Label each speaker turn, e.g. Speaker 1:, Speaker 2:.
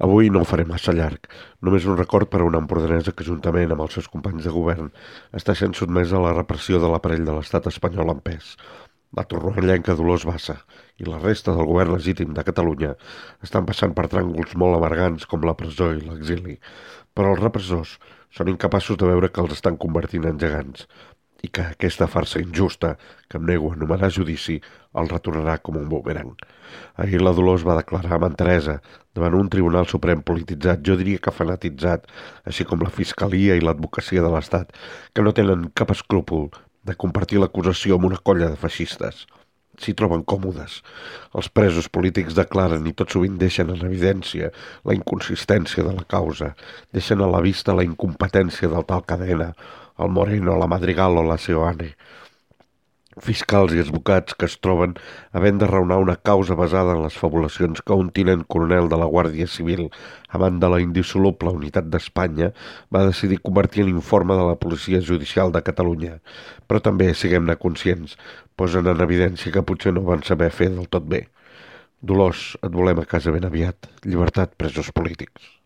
Speaker 1: Avui no ho faré massa llarg. Només un record per a una empordanesa que, juntament amb els seus companys de govern, està sent sotmesa a la repressió de l'aparell de l'estat espanyol en pes. La torrovellenca Dolors Bassa i la resta del govern legítim de Catalunya estan passant per tràngols molt amargants com la presó i l'exili, però els repressors són incapaços de veure que els estan convertint en gegants i que aquesta farsa injusta, que em nego a anomenar judici, el retornarà com un bumerang. Ahir la Dolors va declarar amb enteresa davant un tribunal suprem polititzat, jo diria que fanatitzat, així com la fiscalia i l'advocacia de l'Estat, que no tenen cap escrúpol de compartir l'acusació amb una colla de feixistes. S'hi troben còmodes. Els presos polítics declaren i tot sovint deixen en evidència la inconsistència de la causa, deixen a la vista la incompetència del tal Cadena, el Moreno, la Madrigal o la Seoane. Fiscals i advocats que es troben havent de raonar una causa basada en les fabulacions que un tinent coronel de la Guàrdia Civil, amant de la indissoluble unitat d'Espanya, va decidir convertir en informe de la Policia Judicial de Catalunya. Però també, siguem-ne conscients, posen en evidència que potser no van saber fer del tot bé. Dolors, et volem a casa ben aviat. Llibertat, presos polítics.